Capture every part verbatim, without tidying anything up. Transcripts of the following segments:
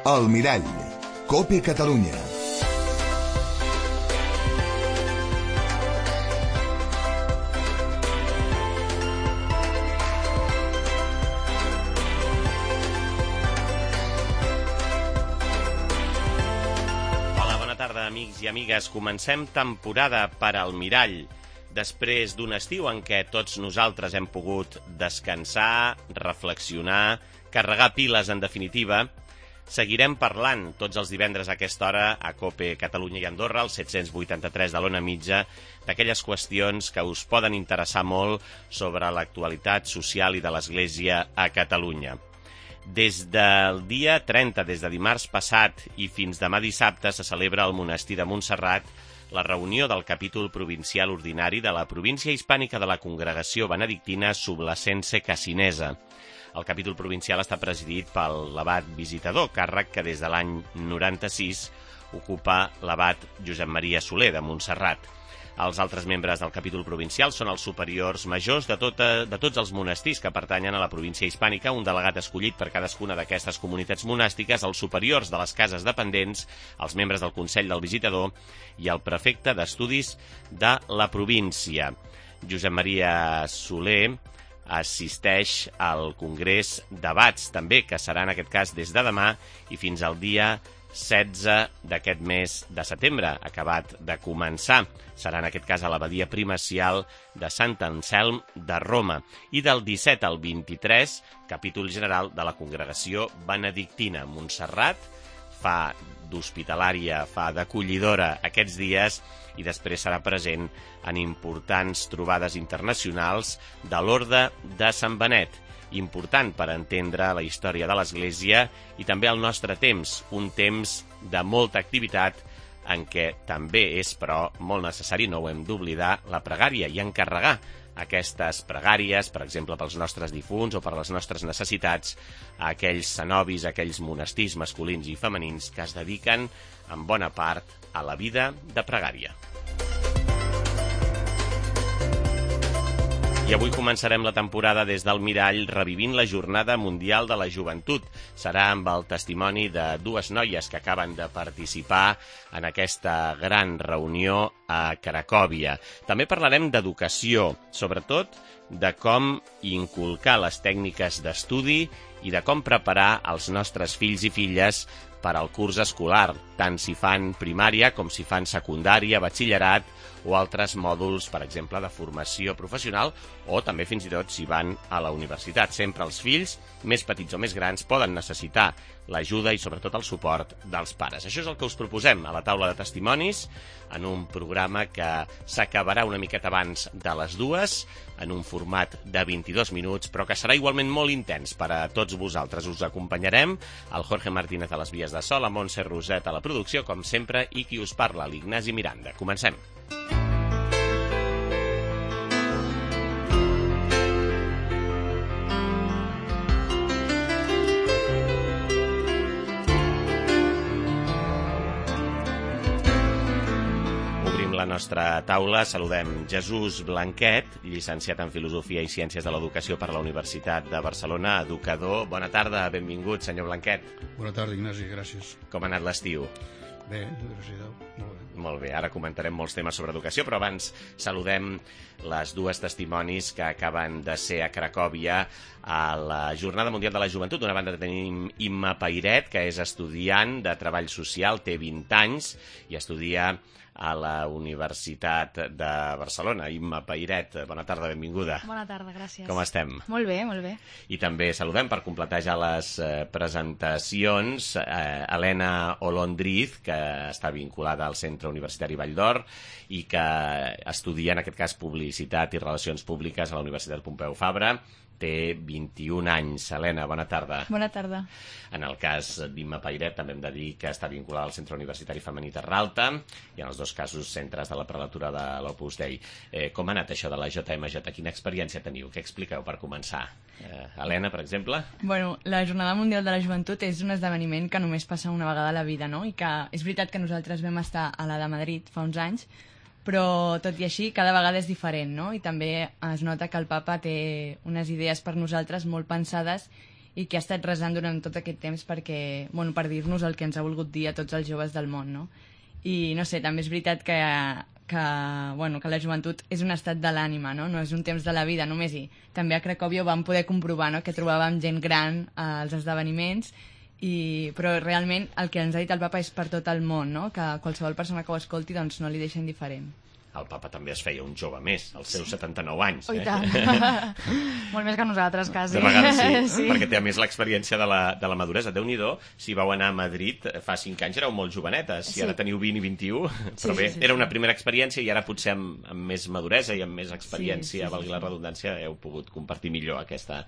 El Mirall, COPE Catalunya. Hola, bona tarda, amics i amigues. Comencem temporada per al Mirall. Després d'un estiu en què tots nosaltres hem pogut descansar, reflexionar, carregar piles, en definitiva, seguirem parlant tots els divendres a aquesta hora a COPE Catalunya i Andorra, al set-cents vuitanta-tres de l'Ona Mitja, d'aquelles qüestions que us poden interessar molt sobre l'actualitat social i de l'Església a Catalunya. Des del dia trenta, des de dimarts passat i fins demà dissabte, se celebra al monestir de Montserrat la reunió del capítol provincial ordinari de la província hispànica de la Congregació Benedictina Sublacense Cassinesa. El capítol provincial està presidit pel l'abat visitador, càrrec que des de l'any noranta-sis ocupa l'abat Josep Maria Soler de Montserrat. Els altres membres del capítol provincial són els superiors majors de, tota, de tots els monestirs que pertanyen a la província hispànica, un delegat escollit per cadascuna d'aquestes comunitats monàstiques, els superiors de les cases dependents, els membres del Consell del Visitador i el prefecte d'estudis de la província. Josep Maria Soler assisteix al Congrés d'Abats, també, que serà en aquest cas des de demà i fins al dia setze d'aquest mes de setembre, acabat de començar. Serà en aquest cas a l'abadia primacial de Sant Anselm de Roma. I del disset al vint-i-tres, capítol general de la Congregació Benedictina. Montserrat fa d'hospitalària, fa d'acollidora aquests dies i després serà present en importants trobades internacionals de l'Orde de Sant Benet. Important per entendre la història de l'Església i també el nostre temps, un temps de molta activitat en què també és, però, molt necessari, no ho hem d'oblidar, la pregària i encarregar aquestes pregàries, per exemple, pels nostres difunts o per les nostres necessitats, a aquells cenobis, a aquells monestirs masculins i femenins que es dediquen, en bona part, a la vida de pregària. I avui començarem la temporada des del Mirall revivint la Jornada Mundial de la Joventut. Serà amb el testimoni de dues noies que acaben de participar en aquesta gran reunió a Cracòvia. També parlarem d'educació, sobretot de com inculcar les tècniques d'estudi i de com preparar els nostres fills i filles per al curs escolar, tant si fan primària com si fan secundària, batxillerat o altres mòduls, per exemple, de formació professional o també fins i tot si van a la universitat. Sempre els fills, més petits o més grans, poden necessitar l'ajuda i sobretot el suport dels pares. Això és el que us proposem a la taula de testimonis en un programa que s'acabarà una miqueta abans de les dues, en un format de vint-i-dos minuts, però que serà igualment molt intens per a tots vosaltres. Us acompanyarem el Jorge Martínez a les vies de so, la Montse Roset a la producció, com sempre, i qui us parla, l'Ignasi Miranda. Comencem. La nostra taula. Saludem Jesús Blanquet, llicenciat en Filosofia i Ciències de l'Educació per la Universitat de Barcelona, educador. Bona tarda, benvingut, senyor Blanquet. Bona tarda, Ignasi, gràcies. Com ha anat l'estiu? Bé, gràcies a Déu, molt bé. Molt bé, ara comentarem molts temes sobre educació, però abans saludem les dues testimonis que acaben de ser a Cracòvia a la Jornada Mundial de la Joventut. D'una banda tenim Imma Pairet, que és estudiant de Treball Social, té vint anys i estudia a la Universitat de Barcelona. Imma Pairet, bona tarda, benvinguda. Bona tarda, gràcies. Com estem? Molt bé, molt bé. I també saludem, per completar ja les eh, presentacions, eh, Helena Olondriz, que està vinculada al Centre Universitari Vall d'Or i que estudia, en aquest cas, Publicitat i Relacions Públiques a la Universitat Pompeu Fabra. Té vint-i-un anys. Helena, bona tarda. Bona tarda. En el cas d'Imma Pairet també hem de dir que està vinculada al Centre Universitari Femení Terralta i en els dos casos centres de la prelatura de l'Opus Dei. Eh, com ha anat això de la J M J? Quina experiència teniu? Què expliqueu per començar? Eh, Helena, per exemple? Bueno, la Jornada Mundial de la Joventut és un esdeveniment que només passa una vegada a la vida, no? I que és veritat que nosaltres vam estar a la de Madrid fa uns anys, però tot i així cada vegada és diferent, no? I també es nota que el papa té unes idees per nosaltres molt pensades i que ha estat resant durant tot aquest temps perquè, bueno, per dir-nos el que ens ha volgut dir a tots els joves del món, no? I no sé, també és veritat que, que, bueno, que la joventut és un estat de l'ànima, no? No és un temps de la vida només, i també a Cracòvia ho vam poder comprovar, no? Que trobàvem gent gran als esdeveniments, i, però realment el que ens ha dit el papa és per tot el món, no? Que qualsevol persona que ho escolti doncs, no li deixa indiferent. El papa també es feia un jove més, als seus setanta-nou anys. Oh, i eh? tant. Molt més que nosaltres, quasi. De vegades sí, Sí. perquè té a més l'experiència de la, de la maduresa. Déu-n'hi-do, si vau anar a Madrid fa cinc anys éreu molt jovenetes, si Sí. ara teniu vint i vint-i-u, però Sí, bé, sí, sí, era sí. una primera experiència i ara potser amb, amb més maduresa i amb més experiència, Sí, sí, sí, valgui la redundància, heu pogut compartir millor aquesta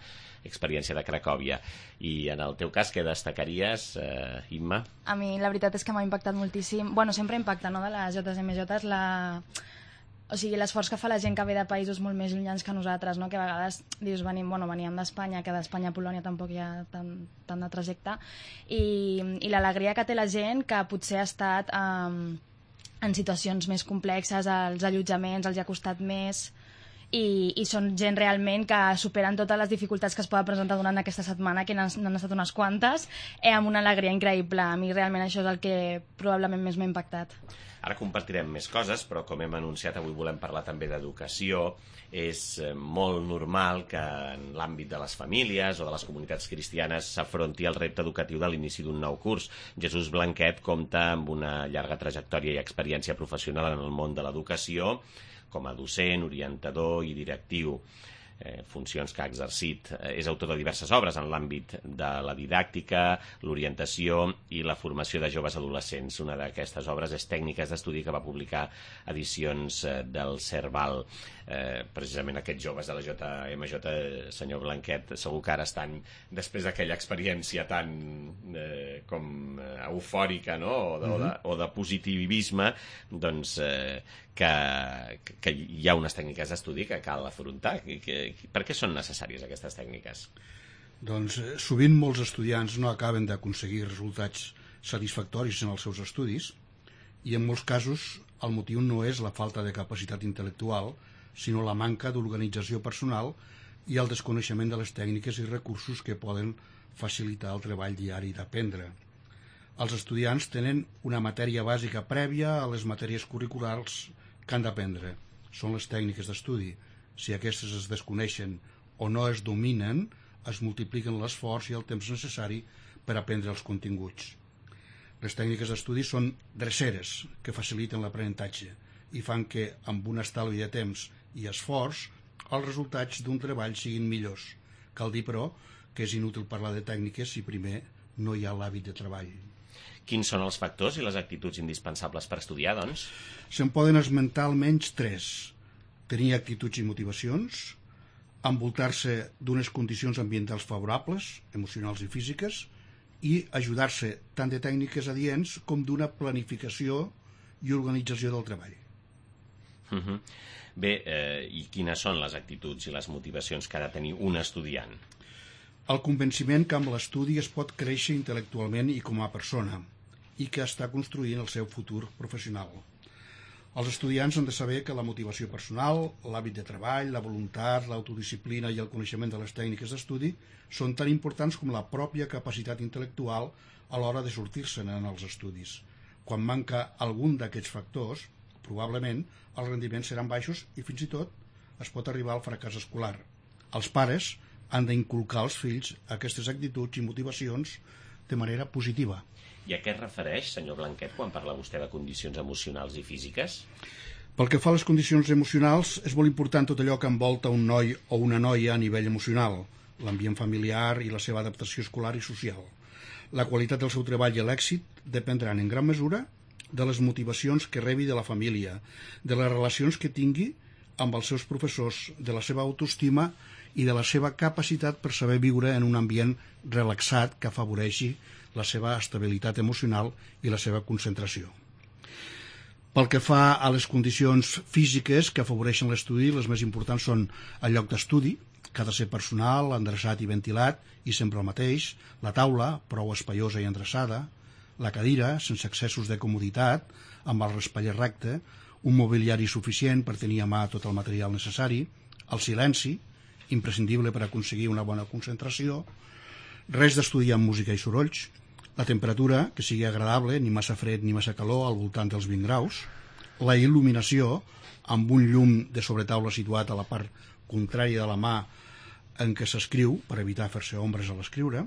experiència de Cracòvia. I en el teu cas, què destacaries, eh, Imma? A mi la veritat és que m'ha impactat moltíssim. Bueno, sempre impacta, no?, de les J S M J, la... O sigui, l'esforç que fa la gent que ve de països molt més llunyans que nosaltres, no? Que a vegades dius, venim, bueno, veníem d'Espanya, que d'Espanya a Polònia tampoc hi ha tant, tant de trajecte, i, i l'alegria que té la gent que potser ha estat um, en situacions més complexes, els allotjaments els hi ha costat més, i, i són gent realment que superen totes les dificultats que es poden presentar durant aquesta setmana, que n'han n'han estat unes quantes, eh, amb una alegria increïble. A mi realment això és el que probablement més m'ha impactat. Ara compartirem més coses, però com hem anunciat, avui volem parlar també d'educació. És molt normal que en l'àmbit de les famílies o de les comunitats cristianes s'afronti el repte educatiu de l'inici d'un nou curs. Jesús Blanquet compta amb una llarga trajectòria i experiència professional en el món de l'educació, com a docent, orientador i directiu. Eh, funcions que ha exercit. Eh, és autor de diverses obres en l'àmbit de la didàctica, l'orientació i la formació de joves adolescents. Una d'aquestes obres és Tècniques d'estudi, que va publicar edicions eh, del Cerval. Eh, precisament aquests joves de la J M J, eh, senyor Blanquet, segur que ara estan, després d'aquella experiència tan eh, com eh, eufòrica, no?, o de, o de, o de positivisme, doncs eh, que, que hi ha unes tècniques d'estudi que cal afrontar. Que, que, per què són necessàries aquestes tècniques? Doncs eh, sovint molts estudiants no acaben d'aconseguir resultats satisfactoris en els seus estudis, i en molts casos el motiu no és la falta de capacitat intel·lectual, sinó la manca d'organització personal i el desconeixement de les tècniques i recursos que poden facilitar el treball diari d'aprendre. Els estudiants tenen una matèria bàsica prèvia a les matèries curriculars que han d'aprendre. Són les tècniques d'estudi. Si aquestes es desconeixen o no es dominen, es multipliquen l'esforç i el temps necessari per aprendre els continguts. Les tècniques d'estudi són dreceres que faciliten l'aprenentatge i fan que, amb un estalvi de temps i esforç, els resultats d'un treball siguin millors. Cal dir, però, que és inútil parlar de tècniques si primer no hi ha l'hàbit de treball. Quins són els factors i les actituds indispensables per estudiar, doncs? Se'n poden esmentar almenys tres. Tenir actituds i motivacions, envoltar-se d'unes condicions ambientals favorables, emocionals i físiques, i ajudar-se tant de tècniques adients com d'una planificació i organització del treball. Uh -huh. Bé, eh, i quines són les actituds i les motivacions que ha de tenir un estudiant? El convenciment que amb l'estudi es pot créixer intel·lectualment i com a persona, i que està construint el seu futur professional. Els estudiants han de saber que la motivació personal, l'hàbit de treball, la voluntat, l'autodisciplina i el coneixement de les tècniques d'estudi són tan importants com la pròpia capacitat intel·lectual a l'hora de sortir-se'n en els estudis. Quan manca algun d'aquests factors, probablement els rendiments seran baixos i fins i tot es pot arribar al fracàs escolar. Els pares han d'inculcar als fills aquestes actituds i motivacions de manera positiva. I a què es refereix, senyor Blanquet, quan parla vostè de condicions emocionals i físiques? Pel que fa a les condicions emocionals, és molt important tot allò que envolta un noi o una noia a nivell emocional, l'ambient familiar i la seva adaptació escolar i social. La qualitat del seu treball i l'èxit dependran en gran mesura de les motivacions que rebi de la família, de les relacions que tingui amb els seus professors, de la seva autoestima i de la seva capacitat per saber viure en un ambient relaxat que afavoreixi la seva estabilitat emocional i la seva concentració. Pel que fa a les condicions físiques que afavoreixen l'estudi, les més importants són el lloc d'estudi, que ha de ser personal, endreçat i ventilat, i sempre el mateix, la taula, prou espaiosa i endreçada, la cadira, sense excessos de comoditat, amb el raspaller recte, un mobiliari suficient per tenir a mà tot el material necessari, el silenci, imprescindible per aconseguir una bona concentració, res d'estudiar amb música i sorolls, la temperatura, que sigui agradable, ni massa fred ni massa calor, al voltant dels vint graus, la il·luminació, amb un llum de sobretaula situat a la part contrària de la mà en què s'escriu, per evitar fer-se ombres a l'escriure,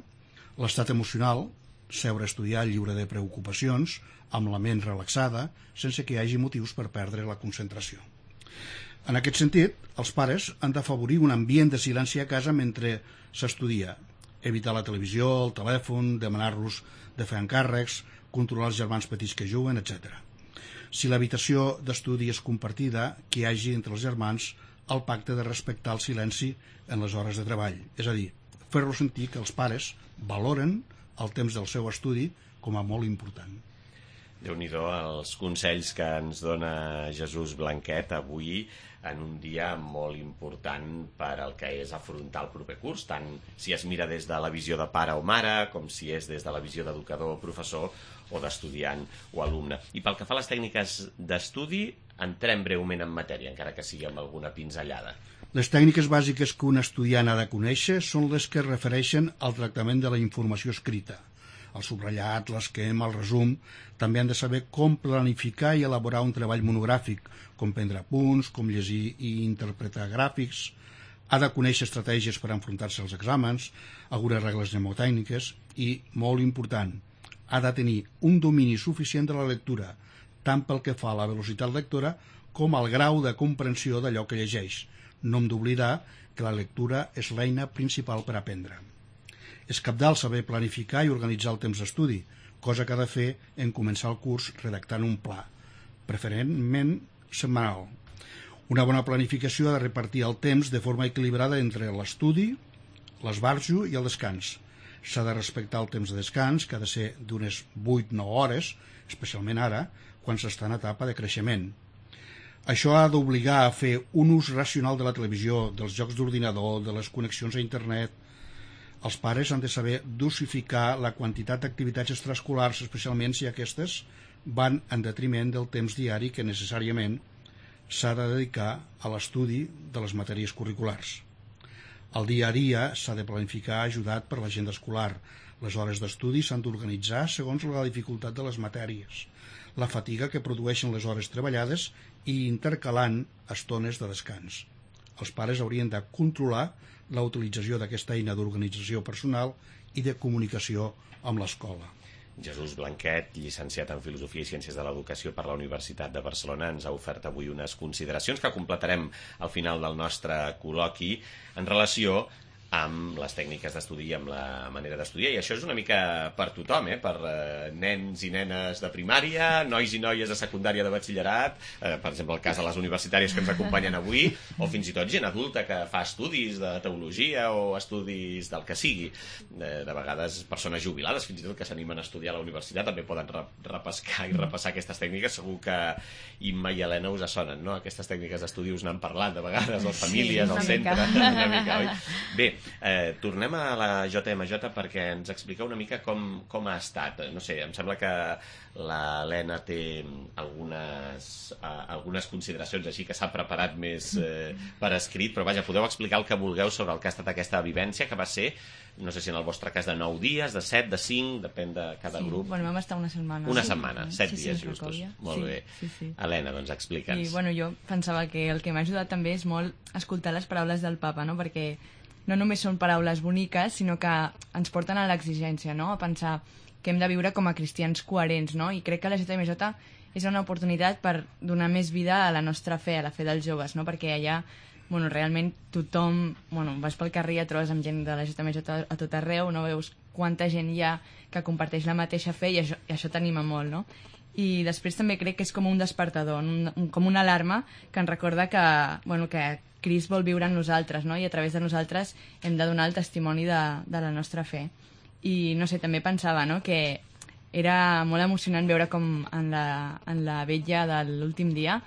l'estat emocional, seure a estudiar lliure de preocupacions, amb la ment relaxada, sense que hi hagi motius per perdre la concentració. En aquest sentit, els pares han d'afavorir un ambient de silenci a casa mentre s'estudia, evitar la televisió, el telèfon, demanar-los de fer encàrrecs, controlar els germans petits que juguen, etcètera. Si l'habitació d'estudi és compartida, que hi hagi entre els germans el pacte de respectar el silenci en les hores de treball, és a dir, fer-los sentir que els pares valoren el temps del seu estudi com a molt important. Déu-n'hi-do els consells que ens dona Jesús Blanquet avui en un dia molt important per al que és afrontar el proper curs, tant si es mira des de la visió de pare o mare, com si és des de la visió d'educador o professor o d'estudiant o alumne. I pel que fa a les tècniques d'estudi, entrem breument en matèria, encara que sigui amb alguna pinzellada. Les tècniques bàsiques que un estudiant ha de conèixer són les que es refereixen al tractament de la informació escrita. El subratllat, l'esquema, el resum, també han de saber com planificar i elaborar un treball monogràfic, com prendre punts, com llegir i interpretar gràfics. Ha de conèixer estratègies per enfrontar-se als exàmens, algunes regles mnemotècniques i, molt important, ha de tenir un domini suficient de la lectura, tant pel que fa a la velocitat lectora com al grau de comprensió d'allò que llegeix. No hem d'oblidar que la lectura és l'eina principal per aprendre. És cabdal saber planificar i organitzar el temps d'estudi, cosa que ha de fer en començar el curs redactant un pla, preferentment setmanal. Una bona planificació ha de repartir el temps de forma equilibrada entre l'estudi, l'esbarjo i el descans. S'ha de respectar el temps de descans, que ha de ser d'unes vuit a nou hores, especialment ara, quan s'està en etapa de creixement. Això ha d'obligar a fer un ús racional de la televisió, dels jocs d'ordinador, de les connexions a internet. Els pares han de saber dosificar la quantitat d'activitats extraescolars, especialment si aquestes van en detriment del temps diari que necessàriament s'ha de dedicar a l'estudi de les matèries curriculars. El dia a dia s'ha de planificar ajudat per l'agenda escolar. Les hores d'estudi s'han d'organitzar segons la dificultat de les matèries, la fatiga que produeixen les hores treballades i intercalant estones de descans. Els pares haurien de controlar la utilització d'aquesta eina d'organització personal i de comunicació amb l'escola. Jesús Blanquet, llicenciat en Filosofia i Ciències de l'Educació per la Universitat de Barcelona, ens ha ofert avui unes consideracions que completarem al final del nostre col·loqui en relació amb les tècniques d'estudi i amb la manera d'estudiar, i això és una mica per tothom, eh? Per eh, nens i nenes de primària, nois i noies de secundària de batxillerat, eh, per exemple el cas de les universitàries que ens acompanyen avui, o fins i tot gent adulta que fa estudis de teologia o estudis del que sigui. Eh, de vegades persones jubilades fins i tot que s'animen a estudiar a la universitat també poden re repescar i repassar aquestes tècniques. Segur que Imma i Helena us sonen, no? Aquestes tècniques d'estudi us n'han parlat de vegades, les famílies, sí, al centre, una mica, oi? Bé, Eh, tornem a la J M J perquè ens explica una mica com, com ha estat. No sé, em sembla que l'Helena té algunes, eh, algunes consideracions així que s'ha preparat més eh, per escrit, però vaja, podeu explicar el que vulgueu sobre el que ha estat aquesta vivència, que va ser, no sé si en el vostre cas de nou dies, de set, de cinc, depèn de cada sí, grup. Bueno, vam estar una setmana. Una sí, setmana, set sí, dies sí, justos. Molt sí, bé. Sí, sí. Helena, doncs explica'ns. I bueno, jo pensava que el que m'ha ajudat també és molt escoltar les paraules del papa, no? Perquè no només són paraules boniques, sinó que ens porten a l'exigència, no? A pensar que hem de viure com a cristians coherents, no? I crec que la J M J és una oportunitat per donar més vida a la nostra fe, a la fe dels joves, no? Perquè allà, bueno, realment tothom, bueno, vas pel carrer i et trobes amb gent de la J M J a tot arreu, no veus quanta gent hi ha que comparteix la mateixa fe i això, i això t'anima molt, no? I després també crec que és com un despertador, un, un, com una alarma que ens recorda que, bueno, que Crist vol viure en nosaltres, no? I a través de nosaltres hem de donar el testimoni de, de la nostra fe. I, no sé, també pensava, no?, que era molt emocionant veure com en la, en la vetlla de l'últim dia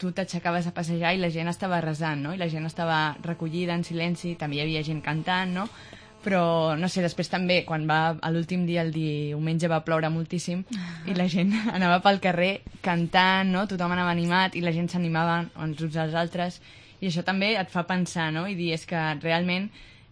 tu t'aixecaves a passejar i la gent estava resant, no? I la gent estava recollida en silenci, també hi havia gent cantant, no? Però, no sé, després també, quan va a l'últim dia, el diumenge, va ploure moltíssim i la gent anava pel carrer cantant, no? Tothom anava animat i la gent s'animava els uns als altres. I això també et fa pensar, no? I dir, és que realment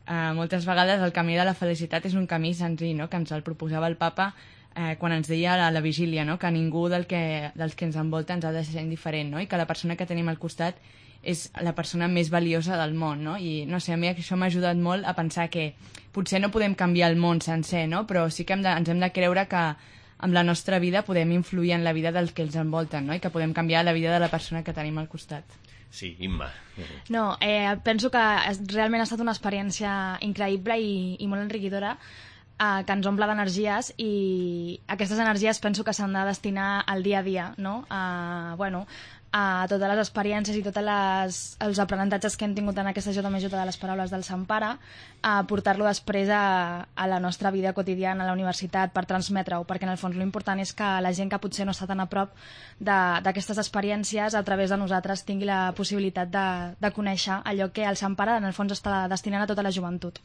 eh, moltes vegades el camí de la felicitat és un camí senzill, no?, que ens el proposava el papa eh, quan ens deia a la vigília, no?, que ningú del que, dels que ens envolta ens ha de ser indiferent, no?, i que la persona que tenim al costat és la persona més valiosa del món, no? I no sé, a mi això m'ha ajudat molt a pensar que potser no podem canviar el món sencer, no?, però sí que hem de, ens hem de creure que amb la nostra vida podem influir en la vida dels que ens envolten, no?, i que podem canviar la vida de la persona que tenim al costat. Sí, Imma. No, eh, penso que realment ha estat una experiència increïble i, i molt enriquidora, eh, que ens omple d'energies, i aquestes energies penso que s'han de destinar al dia a dia, no? A, bueno, a totes les experiències i tots els aprenentatges que hem tingut en aquesta J M J de les paraules del Sant Pare, a portar-lo després a, a la nostra vida quotidiana, a la universitat, per transmetre-ho, perquè en el fons l'important és que la gent que potser no està tan a prop d'aquestes experiències, a través de nosaltres tingui la possibilitat de, de conèixer allò que el Sant Pare en el fons està destinant a tota la joventut.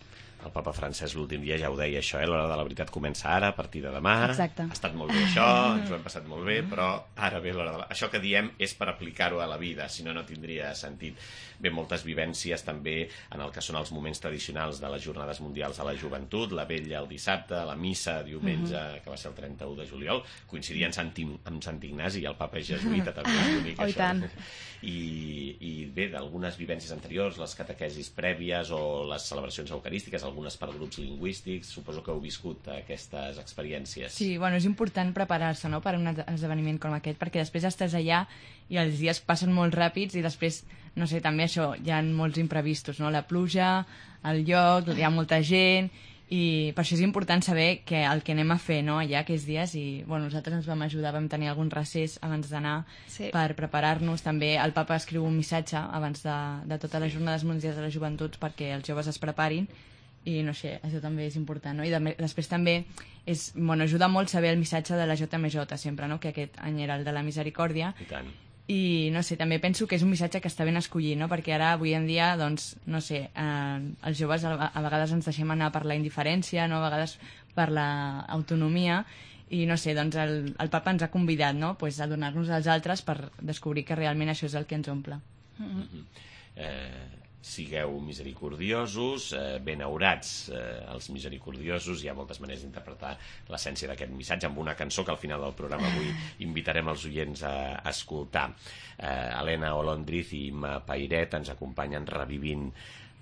El papa Francesc l'últim dia ja ho deia, això, eh? L'hora de la veritat comença ara, a partir de demà. Exacte. Ha estat molt bé això, ens ho hem passat molt bé, però ara ve l'hora de la... Això que diem és per aplicar-ho a la vida, si no, no tindria sentit. Bé, moltes vivències també en el que són els moments tradicionals de les Jornades Mundials de la Joventut, la vetlla el dissabte, la missa diumenge, mm-hmm. que va ser el trenta-u de juliol, coincidia amb Sant, amb Sant Ignasi, i el papa és jesuïta, també és bonic, oh, això. I, I, I bé, d'algunes vivències anteriors, les catequesis prèvies o les celebracions eucarístiques, algunes per grups lingüístics, suposo que heu viscut aquestes experiències. Sí, bueno, és important preparar-se, no?, per a un esdeveniment com aquest, perquè després estàs allà i els dies passen molt ràpids i després, no sé, també això, hi ha molts imprevistos, no?, la pluja, el lloc, hi ha molta gent, i per això és important saber que el que anem a fer, no?, allà aquests dies, i bueno, nosaltres ens vam ajudar, vam tenir algun recés abans d'anar, sí, per preparar-nos. També el papa escriu un missatge abans de, de totes les Jornades Mundials de la Joventut perquè els joves es preparin, i no sé, això també és important, no? I de, després també és, bueno, ajuda molt saber el missatge de la J M J sempre, no?, que aquest any era el de la misericòrdia. I tant. I no sé, també penso que és un missatge que està ben escollit, no?, perquè ara avui en dia, doncs, no sé, eh, els joves a, a vegades ens deixem anar per la indiferència, no?, a vegades per l'autonomia, i no sé, doncs el, el papa ens ha convidat, no?, pues, a donar-nos als altres per descobrir que realment això és el que ens omple. Mm-hmm. eh... Sigueu misericordiosos, eh, benaurats eh, els misericordiosos. Hi ha moltes maneres d'interpretar l'essència d'aquest missatge amb una cançó que al final del programa avui invitarem els oients a, a escoltar. Eh, Helena Olondriz i Imma Pairet ens acompanyen revivint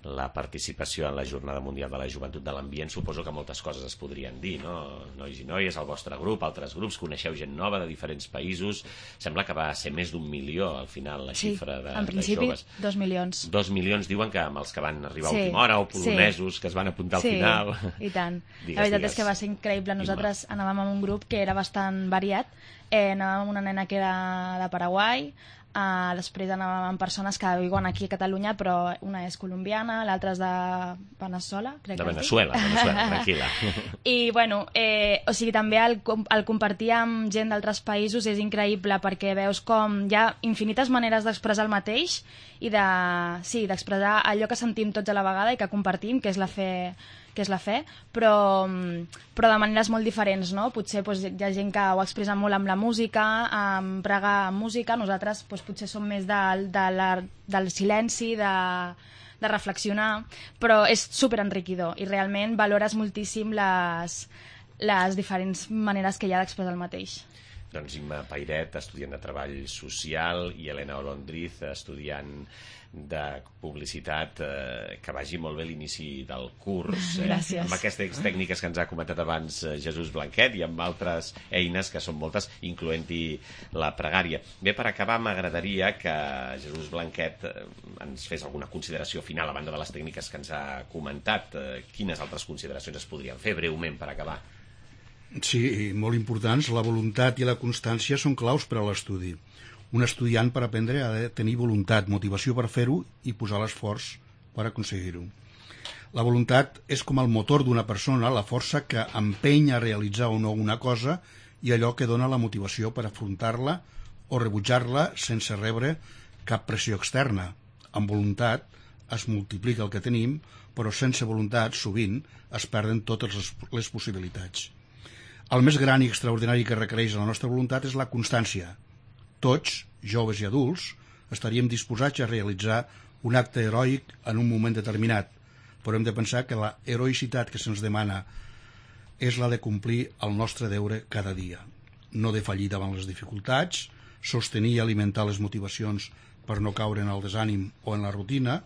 la participació en la Jornada Mundial de la Joventut de l'Ambient. Suposo que moltes coses es podrien dir, no? Nois i noies, el vostre grup, altres grups, coneixeu gent nova de diferents països. Sembla que va ser més d'un milió al final la sí, xifra de, en principi, de joves. dos milions. Dos milions diuen que amb els que van arribar sí, a última hora, o polonesos sí, que es van apuntar al sí, final. I tant. Digues, la veritat digues. és que va ser increïble. Nosaltres Imma. Anàvem amb un grup que era bastant variat. Eh, anàvem amb una nena que era de Paraguai, Uh, després anàvem amb persones que viuen aquí a Catalunya, però una és colombiana, l'altra és de Veneçuela, crec de que Veneçuela, Veneçuela, tranquil·la. I bueno, eh, o sigui, també el, el compartir amb gent d'altres països és increïble, perquè veus com hi ha infinites maneres d'expressar el mateix i de, sí, d'expressar allò que sentim tots a la vegada i que compartim, que és la fe, que és la fe, però, però de maneres molt diferents, no? Potser doncs, hi ha gent que ho expressa molt amb la música, amb pregar amb música, nosaltres doncs, potser som més de, de la, del silenci, de, de reflexionar, però és superenriquidor i realment valores moltíssim les, les diferents maneres que hi ha d'expressar el mateix. Doncs Imma Pairet, estudiant de Treball Social, i Helena Olondriz, estudiant de Publicitat, eh, que vagi molt bé l'inici del curs. Eh? Gràcies. Amb aquestes tècniques que ens ha comentat abans eh, Jesús Blanquet i amb altres eines que són moltes, incloent-hi la pregària. Bé, per acabar, m'agradaria que Jesús Blanquet eh, ens fes alguna consideració final a banda de les tècniques que ens ha comentat. Eh, quines altres consideracions es podrien fer breument per acabar? Sí, molt importants. La voluntat i la constància són claus per a l'estudi. Un estudiant per aprendre ha de tenir voluntat, motivació per fer-ho i posar l'esforç per aconseguir-ho. La voluntat és com el motor d'una persona, la força que empeny a realitzar o no una cosa i allò que dona la motivació per afrontar-la o rebutjar-la sense rebre cap pressió externa. Amb voluntat es multiplica el que tenim, però sense voluntat, sovint, es perden totes les, les possibilitats. El més gran i extraordinari que requereix la nostra voluntat és la constància. Tots, joves i adults, estaríem disposats a realitzar un acte heroic en un moment determinat, però hem de pensar que la heroïcitat que se'ns demana és la de complir el nostre deure cada dia, no defallir davant les dificultats, sostenir i alimentar les motivacions per no caure en el desànim o en la rutina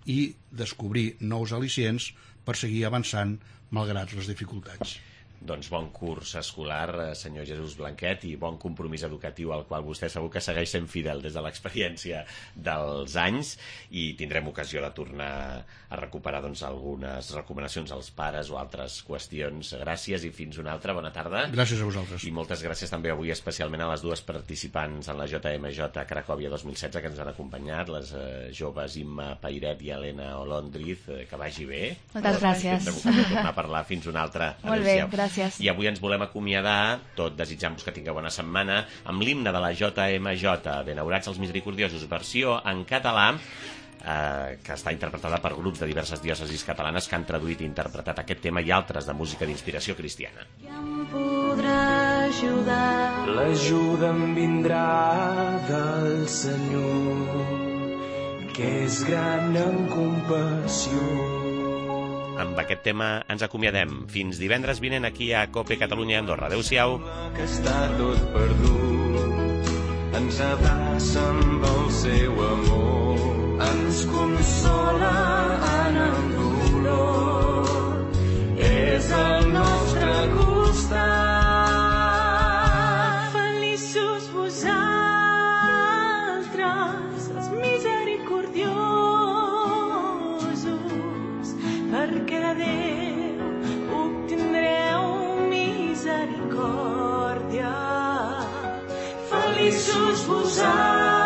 i descobrir nous al·licients per seguir avançant malgrat les dificultats. Doncs bon curs escolar, senyor Jesús Blanquet, i bon compromís educatiu al qual vostè segur que segueix sent fidel des de l'experiència dels anys, i tindrem ocasió de tornar a recuperar doncs, algunes recomanacions als pares o altres qüestions. Gràcies i fins una altra. Bona tarda. Gràcies a vosaltres. I moltes gràcies també avui especialment a les dues participants en la J M J Cracòvia dos mil setze que ens han acompanyat, les eh, joves Imma Pairet i Helena Olondriz. Eh, que vagi bé. Moltes gràcies. Tindrem ocasió de tornar a parlar. Fins una altra. Molt bé, gràcies. I avui ens volem acomiadar, tot desitjant-vos que tingueu bona setmana, amb l'himne de la J M J, Benaurats els Misericordiosos, versió en català, eh, que està interpretada per grups de diverses diòcesis catalanes que han traduït i interpretat aquest tema i altres de música d'inspiració cristiana. Qui em podrà ajudar? L'ajuda em vindrà del Senyor, que és gran en compassió. Amb aquest tema ens acomiadem. Fins divendres vinent aquí a COPE Catalunya Andorra. Adéu-siau. Que està tot perdut, ens abraça amb el seu amor, ens consola en el dolor, és al nostre costat. Feliços vosaltres, els misericordiosos, perquè Déu obtindreu misericòrdia. Feliços vosaltres,